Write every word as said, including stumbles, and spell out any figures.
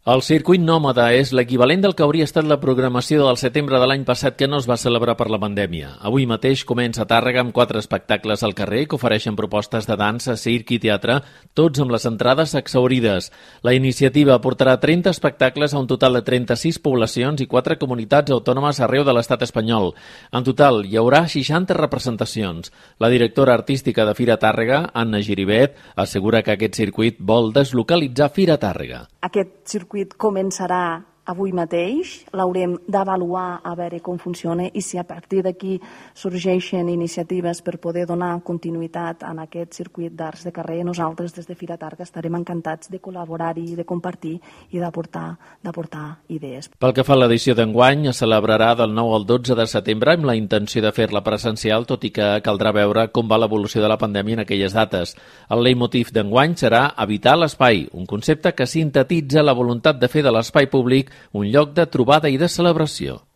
El circuit nòmada és l'equivalent del que hauria estat la programació del setembre de l'any passat que no es va celebrar per la pandèmia. Avui mateix comença a Tàrrega amb quatre espectacles al carrer que ofereixen propostes de dansa, circ i teatre, tots amb les entrades exhaurides. La iniciativa portarà trenta espectacles a un total de trenta-sis poblacions i quatre comunitats autònomes arreu de l'estat espanyol. En total, hi haurà seixanta representacions. La directora artística de Fira Tàrrega, Anna Giribet, assegura que aquest circuit vol deslocalitzar Fira Tàrrega. Aquest circuit començarà avui mateix, l'haurem d'avaluar a veure com funciona i si a partir d'aquí sorgeixen iniciatives per poder donar continuïtat en aquest circuit d'arts de carrer. Nosaltres des de Fira Tàrrega estarem encantats de col·laborar-hi, de compartir i d'aportar d'aportar idees. Pel que fa a l'edició d'enguany, es celebrarà del nou al dotze de setembre amb la intenció de fer-la presencial, tot i que caldrà veure com va l'evolució de la pandèmia en aquelles dates. El leitmotiv d'enguany serà Habitar l'espai, un concepte que sintetitza la voluntat de fer de l'espai públic un lloc de trobada i de celebració.